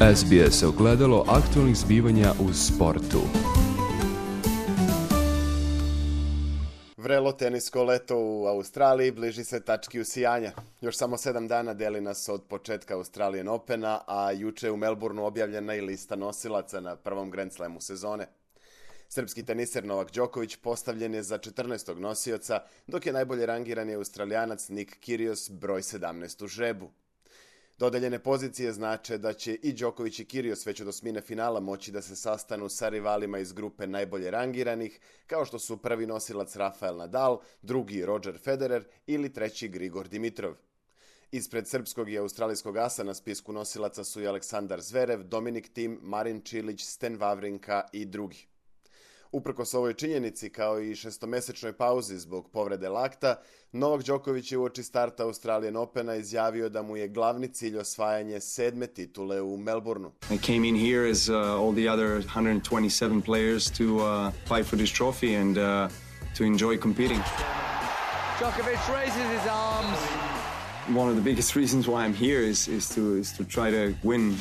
SBS ogledalo aktualnih zbivanja u sportu. Vrelo tenisko leto u Australiji bliži se tački usijanja. Još samo 7 dana deli nas od početka Australian Opena, a juče je u Melbourneu objavljena i lista nosilaca na prvom Grand Slamu sezone. Srpski teniser Novak Đoković postavljen je za 14. nosioca, dok je najbolje rangirani Australijanac Nick Kyrgios broj 17 u žrebu. Dodeljene pozicije znače da će i Đoković i Kyrgios već od osmine finala moći da se sastanu sa rivalima iz grupe najbolje rangiranih, kao što su prvi nosilac Rafael Nadal, drugi Roger Federer ili treći Grigor Dimitrov. Ispred srpskog i australijskog asa na spisku nosilaca su i Aleksandar Zverev, Dominik Thiem, Marin Čilić, Sten Wawrinka i drugi. Uprkos ovoj činjenici, kao i šestomesečnoj pauzi zbog povrede lakta, Novak Đoković je uoči starta Australian Opena izjavio da mu je glavni cilj osvajanje 7. titule u Melbourneu. I came in here as all the other 127 players to fight for this trophy and to enjoy competing. Djokovic raises his arms. One of the biggest reasons why I'm here is to try to win,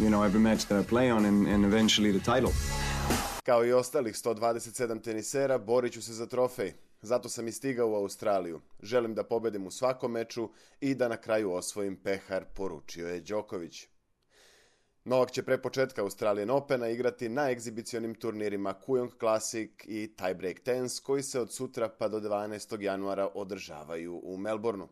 every match that I play on and eventually the title. Kao i ostalih 127 tenisera, borit ću se za trofej. Zato sam i stigao u Australiju. Želim da pobedim u svakom meču i da na kraju osvojim pehar, poručio je Đoković. Novak će pre početka Australian Opena igrati na egzibicionim turnirima Kooyong Classic i Tiebreak Tennis, koji se od sutra pa do 12. januara održavaju u Melbourneu.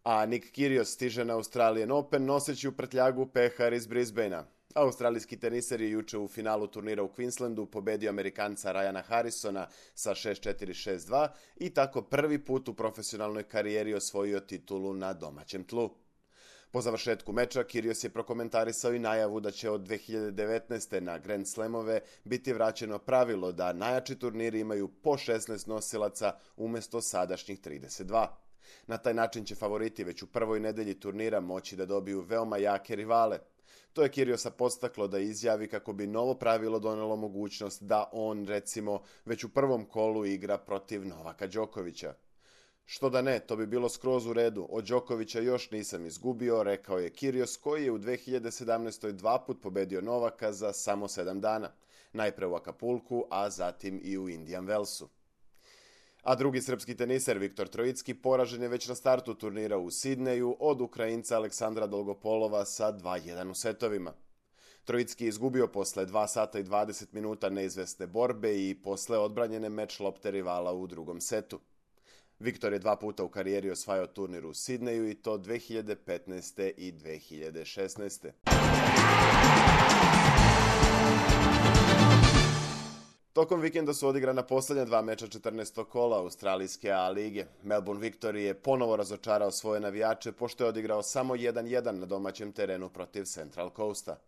A Nick Kyrgios stiže na Australian Open noseći u prtljagu pehar iz Brisbanea. Australijski teniser je juče u finalu turnira u Queenslandu pobedio Amerikanca Ryana Harrisona sa 6-4, 6-2 i tako prvi put u profesionalnoj karijeri osvojio titulu na domaćem tlu. Po završetku meča Kyrgios je prokomentarisao i najavu da će od 2019. na Grand Slamove biti vraćeno pravilo da najjači turniri imaju po 16 nosilaca umjesto sadašnjih 32. Na taj način će favoriti već u prvoj nedelji turnira moći da dobiju veoma jake rivale. To je Kyrgiosa podstaklo da izjavi kako bi novo pravilo donelo mogućnost da on, recimo, već u prvom kolu igra protiv Novaka Đokovića. Što da ne, to bi bilo skroz u redu. Od Đokovića još nisam izgubio, rekao je Kyrgios, koji je u 2017. 2 put pobedio Novaka za samo 7 dana. Najpre u Acapulcu, a zatim i u Indian Wellsu. A drugi srpski teniser Viktor Trojicki poražen je već na startu turnira u Sidneju od Ukrajinca Aleksandra Dolgopolova sa 2-1 u setovima. Trojicki je izgubio posle 2 sata i 20 minuta neizvesne borbe i posle odbranjene meč lopte rivala u drugom setu. Viktor je 2 puta u karijeri osvajao turnir u Sidneju i to 2015. i 2016. Tokom vikenda su odigrana posljednja 2 meča 14. kola australijske A lige. Melbourne Victory je ponovo razočarao svoje navijače pošto je odigrao samo 1-1 na domaćem terenu protiv Central Coasta.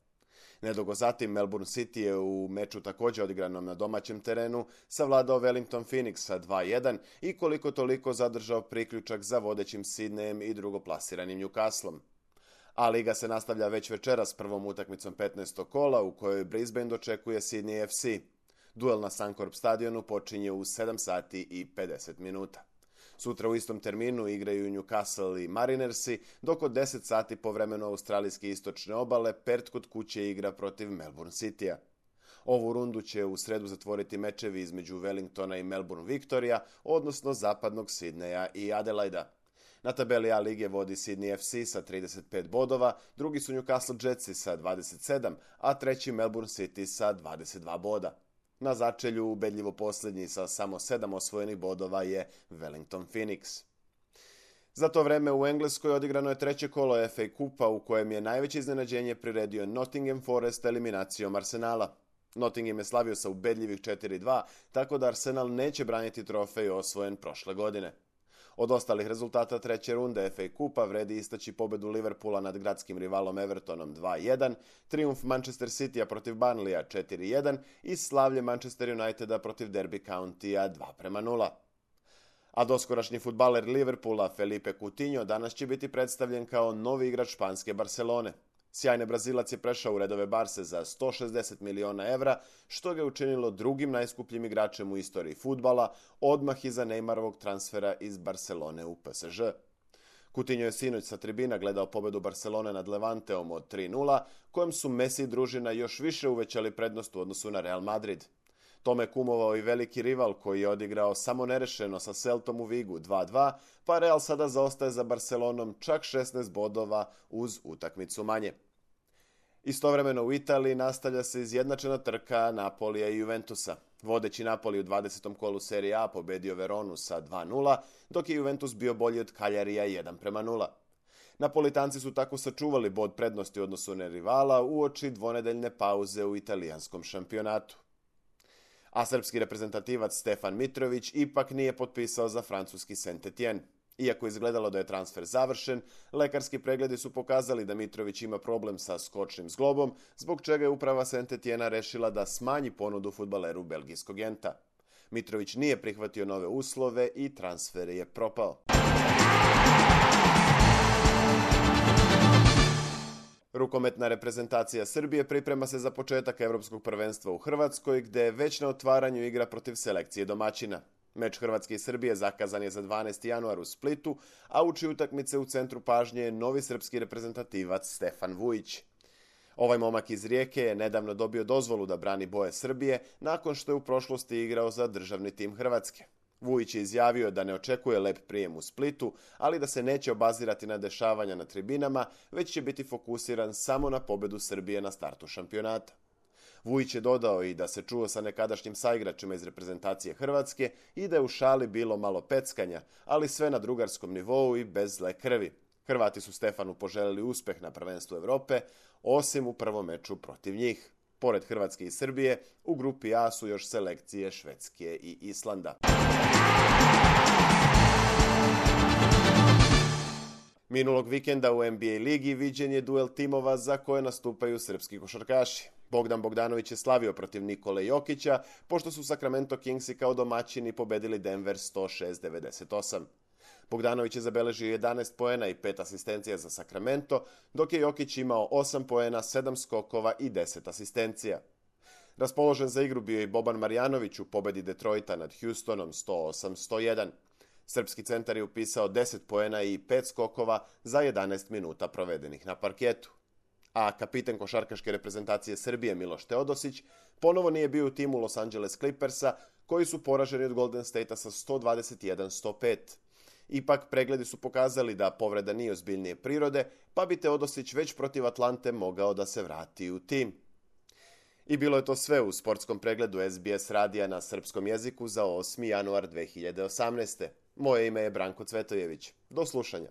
Nedugo zatim Melbourne City je u meču također odigranom na domaćem terenu savladao Wellington Phoenix sa 2-1 i koliko toliko zadržao priključak za vodećim Sydneyem i drugoplasiranim Newcastlom. A liga se nastavlja već večeras prvom utakmicom 15. kola u kojoj Brisbane dočekuje Sydney FC. Duel na Suncorp stadionu počinje u 7 sati i 50 minuta. Sutra u istom terminu igraju Newcastle i Marinersi, dok od 10 sati po vremenu australijske istočne obale Perth kod kuće igra protiv Melbourne Citya. Ovu rundu će u sredu zatvoriti mečevi između Wellingtona i Melbourne Victoria, odnosno zapadnog Sidneja i Adelaida. Na tabeli A lige vodi Sydney FC sa 35 bodova, drugi su Newcastle Jetsi sa 27, a treći Melbourne City sa 22 boda. Na začelju ubedljivo posljednji sa samo 7 osvojenih bodova je Wellington Phoenix. Za to vreme u Engleskoj odigrano je treće kolo FA Kupa u kojem je najveće iznenađenje priredio Nottingham Forest eliminacijom Arsenala. Nottingham je slavio sa ubedljivih 4-2, tako da Arsenal neće braniti trofej osvojen prošle godine. Od ostalih rezultata treće runde FA Kupa vredi istaći pobedu Liverpoola nad gradskim rivalom Evertonom 2-1, trijumf Manchester Citya protiv Burnleya 4-1 i slavlje Manchester Uniteda protiv Derby Countya 2-0. A doskorašnji fudbaler Liverpoola Felipe Coutinho danas će biti predstavljen kao novi igrač španske Barcelone. Sjajni Brazilac je prešao u redove Barse za 160 miliona evra, što ga je učinilo drugim najskupljim igračem u istoriji fudbala, odmah iza Neymarovog transfera iz Barcelone u PSG. Coutinho je sinoć sa tribina gledao pobedu Barcelone nad Levanteom od 3:0, kojem su Messi i družina još više uvećali prednost u odnosu na Real Madrid. Tome kumovao i veliki rival koji je odigrao samo nerešeno sa Celtom u Vigu 2:2, pa Real sada zaostaje za Barcelonom čak 16 bodova uz utakmicu manje. Istovremeno u Italiji nastavlja se izjednačena trka Napolija i Juventusa. Vodeći Napoli u 20. kolu Serie A pobedio Veronu sa 2:0, dok je Juventus bio bolji od Cagliarija 1:0. Napolitanci su tako sačuvali bod prednosti u odnosu na rivala uoči dvonedeljne pauze u italijanskom šampionatu. A srpski reprezentativac Stefan Mitrović ipak nije potpisao za francuski Saint-Étienne. Iako izgledalo da je transfer završen, lekarski pregledi su pokazali da Mitrović ima problem sa skočnim zglobom, zbog čega je uprava Saint-Étiennea rešila da smanji ponudu fudbaleru belgijskog Genta. Mitrović nije prihvatio nove uslove i transfer je propao. Rukometna reprezentacija Srbije priprema se za početak Evropskog prvenstva u Hrvatskoj, gde već na otvaranju igra protiv selekcije domaćina. Meč Hrvatske i Srbije zakazan je za 12. januar u Splitu, a uči utakmice u centru pažnje je novi srpski reprezentativac Stefan Vujić. Ovaj momak iz Rijeke je nedavno dobio dozvolu da brani boje Srbije nakon što je u prošlosti igrao za državni tim Hrvatske. Vujić je izjavio da ne očekuje lep prijem u Splitu, ali da se neće obazirati na dešavanja na tribinama, već će biti fokusiran samo na pobedu Srbije na startu šampionata. Vujić je dodao i da se čuo sa nekadašnjim saigračima iz reprezentacije Hrvatske i da je u šali bilo malo peckanja, ali sve na drugarskom nivou i bez zle krvi. Hrvati su Stefanu poželeli uspeh na prvenstvu Evrope, osim u prvom meču protiv njih. Pored Hrvatske i Srbije, u grupi A su još selekcije Švedske i Islanda. Minulog vikenda u NBA ligi viđen je duel timova za koje nastupaju srpski košarkaši. Bogdan Bogdanović je slavio protiv Nikole Jokića, pošto su Sacramento Kingsi kao domaćini pobedili Denver 106-98. Bogdanović je zabeležio 11 poena i 5 asistencija za Sacramento, dok je Jokić imao 8 poena, 7 skokova i 10 asistencija. Raspoložen za igru bio i Boban Marjanović u pobedi Detroita nad Houstonom 108-101. Srpski centar je upisao 10 poena i 5 skokova za 11 minuta provedenih na parketu. A kapiten košarkaške reprezentacije Srbije Miloš Teodosić ponovo nije bio u timu Los Angeles Clippersa, koji su poraženi od Golden State-a sa 121-105. Ipak, pregledi su pokazali da povreda nije ozbiljnije prirode, pa bi Teodosić već protiv Atlante mogao da se vrati u tim. I bilo je to sve u sportskom pregledu SBS radija na srpskom jeziku za 8. januar 2018. Moje ime je Branko Cvetojević. Do slušanja.